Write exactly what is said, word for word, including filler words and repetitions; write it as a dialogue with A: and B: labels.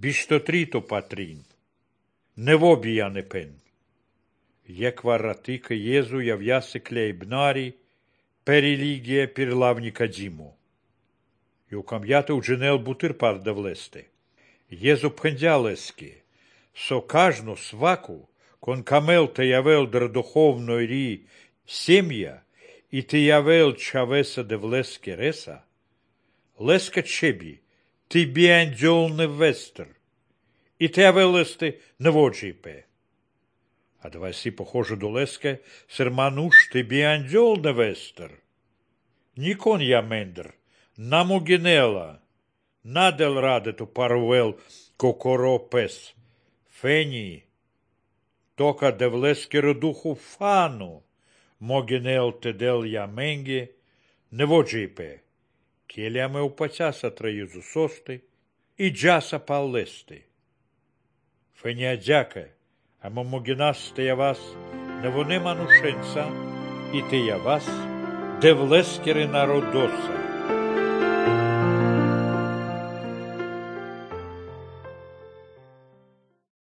A: Bistotrito patrin. Nevo bijane pen. Jekvarati că Jezu javjase kleibnari per religie per lavnicadimo. Eu cambiate u genel butir par davleste. Jezu phendjaleski, со кажну сваку, кон камел те явел др духовной ри семья, и те явел чавеса девлеске реса, леска чеби, ти биандjol не вестер, и те явелесте неводжипе. А давай си похоже до леске, сермануш ти биандjol не вестер. Никон я мендр, наму генела, надел радету парвел кокоро пес, фени, тока девлескеро духу фану, могенел тедел яменге, неводжипе, келяме упацяса траюзу сости, и джаса паллести. Феня дяке, ама могенас те явас, невоне манушенца, и те явас, девлескере народоса.